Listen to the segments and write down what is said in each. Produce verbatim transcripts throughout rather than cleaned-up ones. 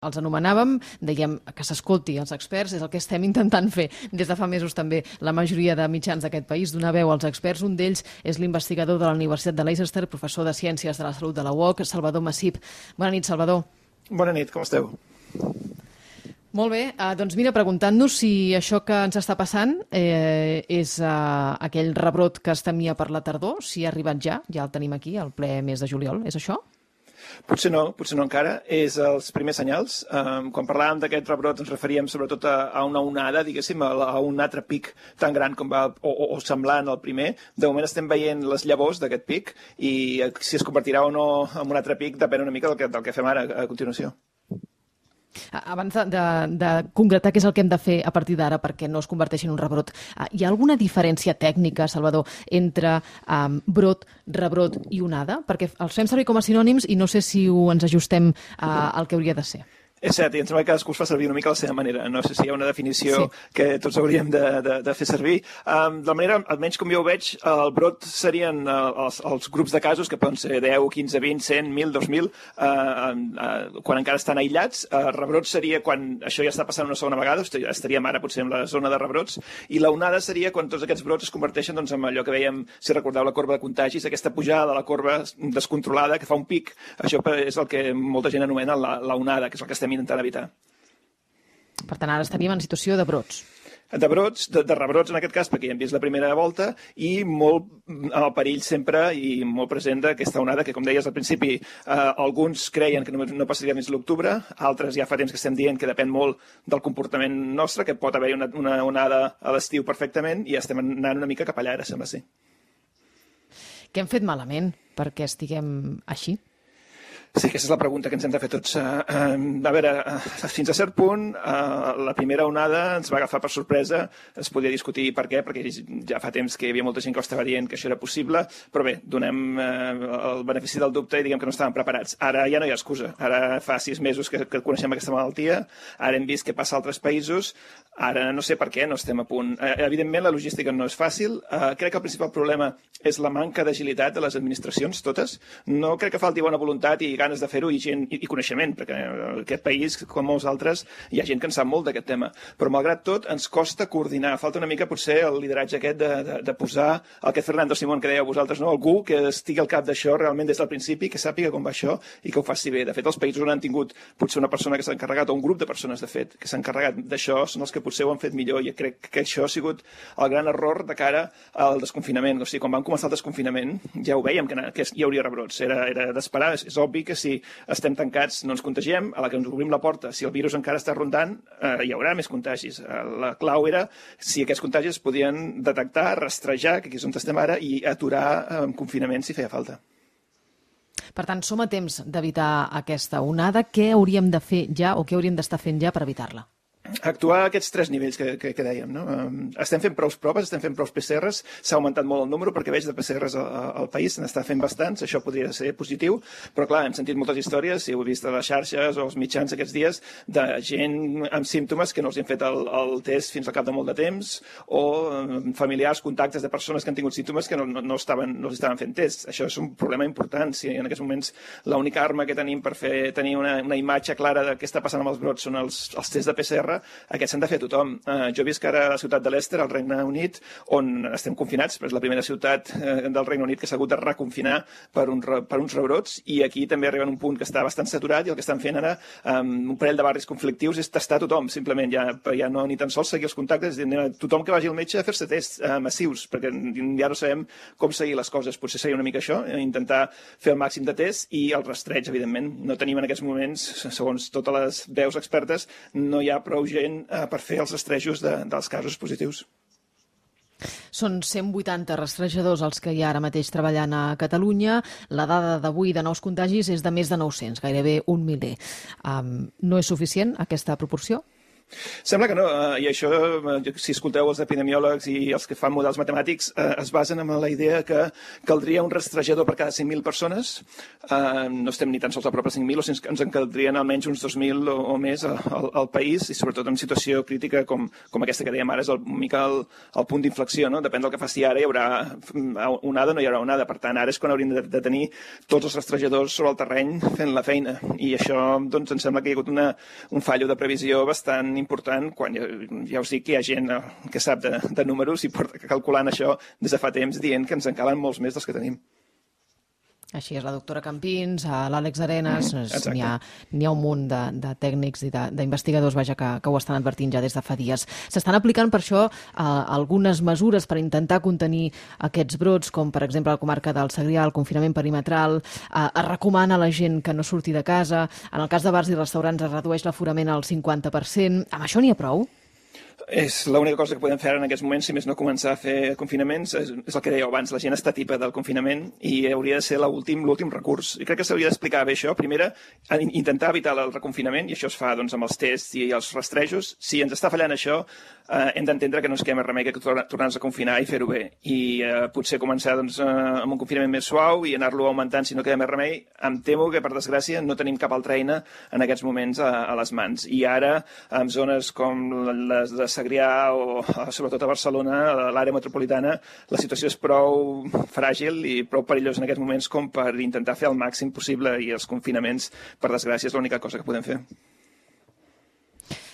els anomenàvem, dèiem que s'escolti els experts, és el que estem intentant fer des de fa mesos també la majoria de mitjans d'aquest país, donar veu als experts. Un d'ells és l'investigador de la Universitat de Leicester, professor de Ciències de la Salut de la U O C, Salvador Massip. Bona nit, Salvador. Bona nit, com esteu? Molt bé, eh, doncs mira, preguntant-nos si això que ens està passant eh, és eh, aquell rebrot que es temia per la tardor, si ha arribat ja, ja el tenim aquí, al ple mes de juliol, és això? Potser no, potser no encara. És els primers senyals. Um, quan parlàvem d'aquest rebrot ens referíem sobretot a, a una onada, diguéssim, a, a un altre pic tan gran com va, o, o, o semblant al primer. De moment estem veient les llavors d'aquest pic i si es convertirà o no en un altre pic depèn una mica del que, del que fem ara a continuació. Abans de, de, de concretar què és el que hem de fer a partir d'ara perquè no es converteixi en un rebrot, hi ha alguna diferència tècnica, Salvador, entre um, brot, rebrot i onada? Perquè els fem servir com a sinònims i no sé si ho ens ajustem uh, al que hauria de ser. És cert, i em sembla que cadascú es fa servir una mica a la seva manera. No sé si hi ha una definició sí. que tots hauríem de, de, de fer servir. Um, de la manera, almenys com jo ho veig, el brot serien uh, els, els grups de casos, que poden ser deu, quinze, vint, cent, mil, dos mil, uh, uh, quan encara estan aïllats. Uh, rebrot seria quan això ja està passant una segona vegada, estaríem ara potser en la zona de rebrots, i la onada seria quan tots aquests brots es converteixen doncs, en allò que veiem, si recordeu la corba de contagis, aquesta pujada de la corba descontrolada que fa un pic. Això és el que molta gent anomena la, la onada, que és el que estem intentant evitar. Per tant, ara estaríem en situació de brots. De brots, de, de rebrots en aquest cas, perquè ja hem vist la primera volta, i molt amb el perill sempre i molt present d'aquesta onada, que com deies al principi, eh, alguns creien que no, no passaria més l'octubre, altres ja fa temps que estem dient que depèn molt del comportament nostre, que pot haver una, una onada a l'estiu perfectament, i estem anant una mica cap allà, ara sembla ser. Què hem fet malament perquè estiguem així? Sí, aquesta és la pregunta que ens hem de fer tots. Uh, uh, a veure, uh, fins a cert punt, uh, la primera onada ens va agafar per sorpresa. Es podia discutir per què, perquè ja fa temps que hi havia molta gent que ho estava dient que això era possible, però bé, donem uh, el benefici del dubte i diguem que no estàvem preparats. Ara ja no hi ha excusa. Ara fa sis mesos que, que coneixem aquesta malaltia, ara hem vist què passa a altres països, ara no sé per què no estem a punt. Uh, evidentment, la logística no és fàcil. Uh, crec que el principal problema és la manca d'agilitat de les administracions, totes. No crec que falti bona voluntat i ganes de fer-ho i, gent, i, i coneixement, perquè en aquest país, com molts altres, hi ha gent que en sap molt d'aquest tema. Però, malgrat tot, ens costa coordinar. Falta una mica, potser, el lideratge aquest de, de, de posar el que Fernando Simón, que dèieu vosaltres, no? Algú que estigui al cap d'això realment des del principi, que sàpiga com va això i que ho faci bé. De fet, els països on han tingut potser una persona que s'ha encarregat, o un grup de persones, de fet, que s'ha encarregat d'això, són els que potser ho han fet millor. I crec que això ha sigut el gran error de cara al desconfinament. O sigui, quan vam començar el desconfinament, ja ho vèiem, que, que hi hauria rebrots. Era, era d'esperar. És, és obvi que si estem tancats, no ens contagiem, a la que ens obrim la porta, si el virus encara està rondant, eh, hi haurà més contagis. Eh, la clau era si aquests contagis es podien detectar, rastrejar, que aquí és on estem ara, i aturar amb eh, confinament si feia falta. Per tant, som a temps d'evitar aquesta onada. Què hauríem de fer ja o què hauríem d'estar fent ja per evitar-la? Actuar a aquests tres nivells que, que, que dèiem. No? Estem fent prou proves, estem fent prou P C Rs, s'ha augmentat molt el número perquè veig de P C Rs al, al país, se n'està fent bastants, això podria ser positiu, però clar, hem sentit moltes històries, si ho he vist a les xarxes o als mitjans aquests dies, de gent amb símptomes que no els han fet el, el test fins al cap de molt de temps, o familiars, contactes de persones que han tingut símptomes que no, no, no, estaven, no els estaven fent tests. Això és un problema important. Si en aquests moments l'única arma que tenim per fer tenir una, una imatge clara de què està passant amb els brots són els, els tests de P C R, aquests s'han de fer a tothom. Uh, jo visc ara a la ciutat de Leicester, al Regne Unit, on estem confinats, però és la primera ciutat uh, del Regne Unit que s'ha hagut de reconfinar per, un, per uns rebrots, i aquí també arriben a un punt que està bastant saturat, i el que estan fent ara, um, un parell de barris conflictius, és testar tothom, simplement, ja, ja no ni tan sols seguir els contactes, tothom que vagi al metge a fer-se tests uh, massius, perquè ja no sabem com seguir les coses. Potser seria una mica això, intentar fer el màxim de tests, i el rastreig, evidentment. No tenim en aquests moments, segons totes les veus expertes, no hi ha prou gent per fer els rastrejos de, dels casos positius. Són cent vuitanta rastrejadors els que hi ha ara mateix treballant a Catalunya. La dada d'avui de nous contagis és de més de nou-cents, gairebé un miler. Um, no és suficient aquesta proporció? Sembla que no, i això, si escolteu els epidemiòlegs i els que fan models matemàtics, es basen en la idea que caldria un rastrejador per cada cinc mil persones. No estem ni tan sols a prop de cinc mil, o sigui, ens en caldrien almenys uns dos mil o més al, al país, i sobretot en situació crítica com, com aquesta que dèiem ara, és el, una mica el, el punt d'inflexió, no? Depèn del que faci ara, hi haurà onada o no hi haurà onada. Per tant, ara és quan hauríem de, de tenir tots els rastrejadors sobre el terreny fent la feina, i això doncs, em sembla que hi ha hagut una, un fallo de previsió bastant important, quan ja, ja us dic que hi ha gent que sap de, de números i porta calculant això des de fa temps, dient que ens en calen molts més dels que tenim. Així és, la doctora Campins, l'Àlex Arenas, mm, n'hi ha, n'hi ha un munt de, de tècnics i d'investigadors vaja, que, que ho estan advertint ja des de fa dies. S'estan aplicant per això eh, algunes mesures per intentar contenir aquests brots, com per exemple a la comarca del Segrià, el confinament perimetral, eh, es recomana a la gent que no surti de casa, en el cas de bars i restaurants es redueix l'aforament al cinquanta per cent. Amb això n'hi ha prou? És l'única cosa que podem fer en aquests moments, si més no començar a fer confinaments, és, és el que dèieu abans, la gent està tipa del confinament i hauria de ser l'últim l'últim recurs. I crec que s'hauria d'explicar bé això. Primera, intentar evitar el reconfinament, i això es fa doncs, amb els tests i els rastrejos. Si ens està fallant això, eh, hem d'entendre que no ens queda més remei que tornar-nos a confinar i fer-ho bé. I eh, potser començar doncs, eh, amb un confinament més suau i anar-lo augmentant si no queda més remei. Em temo que, per desgràcia, no tenim cap altra eina en aquests moments a, a les mans. I ara, en zones com les de Segrià o sobretot a Barcelona, a l'àrea metropolitana, la situació és prou fràgil i prou perillosa en aquests moments com per intentar fer el màxim possible, i els confinaments, per desgràcia, és l'única cosa que podem fer.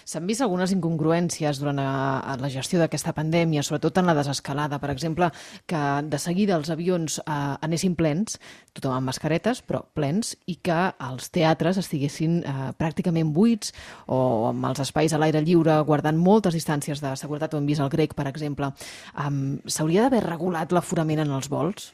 S'han vist algunes incongruències durant la gestió d'aquesta pandèmia, sobretot en la desescalada. Per exemple, que de seguida els avions eh, anessin plens, tothom amb mascaretes, però plens, i que els teatres estiguessin eh, pràcticament buits, o amb els espais a l'aire lliure guardant moltes distàncies de seguretat. Ho hem vist al Grec, per exemple. Um, S'hauria d'haver regulat l'aforament en els vols?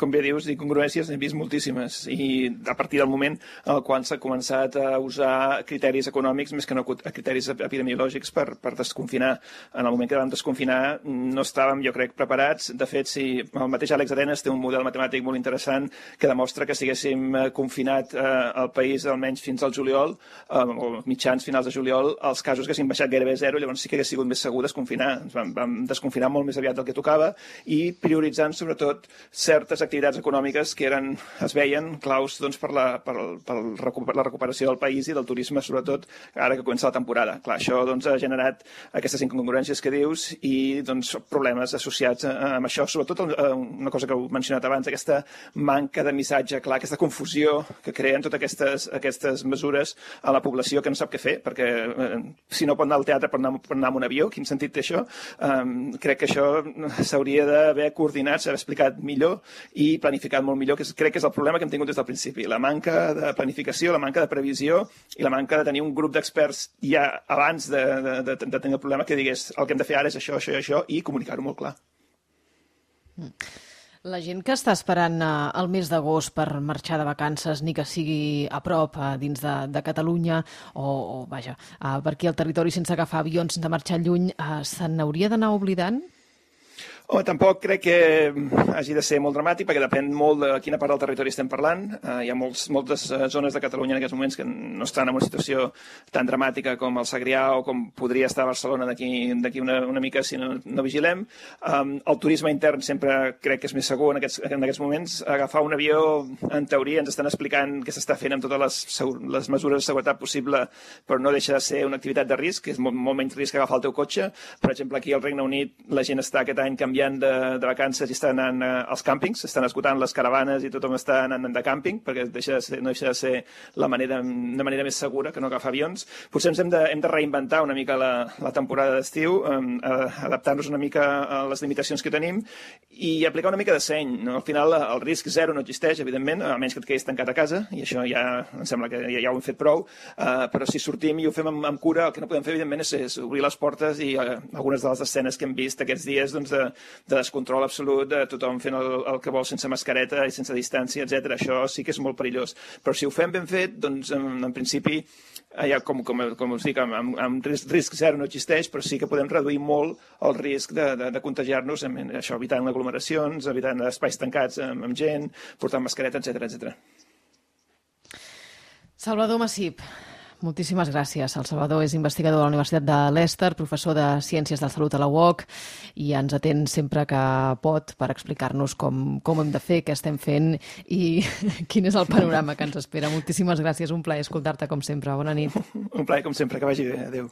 Com bé dius, incongruències n'hem vist moltíssimes, i a partir del moment en el qual s'ha començat a usar criteris econòmics més que no criteris epidemiològics per, per desconfinar. En el moment que vam desconfinar no estàvem, jo crec, preparats. De fet, si el mateix Àlex Arenas té un model matemàtic molt interessant que demostra que si haguéssim confinat eh, el país almenys fins al juliol, eh, o mitjans finals de juliol, els casos haguessin baixat gairebé zero, llavors sí que hagués sigut més segur desconfinar. Ens vam, vam desconfinar molt més aviat del que tocava, i prioritzant sobretot certes activitats econòmiques que eren, es veien claus doncs, per, la, per, per la recuperació del país i del turisme, sobretot ara que comença la temporada. Clar, això doncs, ha generat aquestes incongruències que dius i doncs, problemes associats amb això, sobretot una cosa que heu mencionat abans, aquesta manca de missatge clar, aquesta confusió que creen totes aquestes, aquestes mesures a la població que no sap què fer, perquè eh, si no pot anar al teatre pot anar, pot anar amb un avió. Quin sentit té això? Um, crec que això s'hauria d'haver coordinat, s'ha explicat millor i planificat molt millor, que crec que és el problema que hem tingut des del principi. La manca de planificació, la manca de previsió i la manca de tenir un grup d'experts ja abans de, de, de, de tenir el problema que digués el que hem de fer ara és això, això i això, i comunicar-ho molt clar. La gent que està esperant el mes d'agost per marxar de vacances, ni que sigui a prop, dins de, de Catalunya, o, o vaja, per aquí al territori sense agafar avions, sense marxar lluny, se n'hauria d'anar oblidant? Oh, tampoc crec que hagi de ser molt dramàtic, perquè depèn molt de quina part del territori estem parlant. Uh, hi ha molts, moltes zones de Catalunya en aquests moments que no estan en una situació tan dramàtica com el Segrià o com podria estar Barcelona d'aquí una, una mica si no, no vigilem. Um, el turisme intern sempre crec que és més segur en aquests, en aquests moments. Agafar un avió, en teoria, ens estan explicant què s'està fent amb totes les, les mesures de seguretat possible, però no deixa de ser una activitat de risc, que és molt, molt menys risc que agafar el teu cotxe. Per exemple, aquí al Regne Unit la gent està aquest any canviant De, de vacances i estan anant uh, als càmpings, estan esgotant les caravanes i tothom està anant de càmping, perquè deixa de ser, no deixa de ser la manera, de manera més segura que no agafar avions. Potser ens hem de, hem de reinventar una mica la, la temporada d'estiu, um, adaptar-nos una mica a les limitacions que tenim i aplicar una mica de seny. No? Al final el risc zero no existeix, evidentment, a menys que et quedis tancat a casa, i això ja em sembla que ja, ja ho hem fet prou, uh, però si sortim i ho fem amb, amb cura, el que no podem fer, evidentment, és, és obrir les portes i uh, algunes de les escenes que hem vist aquests dies doncs, de, de descontrol absolut, de tothom fent el, el que vol sense mascareta i sense distància, etcètera. Això sí que és molt perillós. Però si ho fem ben fet, doncs en, en principi, ja, com, com, com us dic, amb, amb, amb risc, risc zero no existeix, però sí que podem reduir molt el risc de, de, de contagiar-nos, això evitant aglomeracions, evitant espais tancats amb, amb gent, portant mascareta, etcètera, etcètera. Salvador Massip, Moltíssimes gràcies. El Salvador és investigador de la Universitat de Leicester, professor de Ciències de la Salut a la U O C i ens atén sempre que pot per explicar-nos com, com ho hem de fer, què estem fent i quin és el panorama que ens espera. Moltíssimes gràcies, un plaer escoltar-te com sempre. Bona nit. Un plaer com sempre, que vagi bé. Adéu.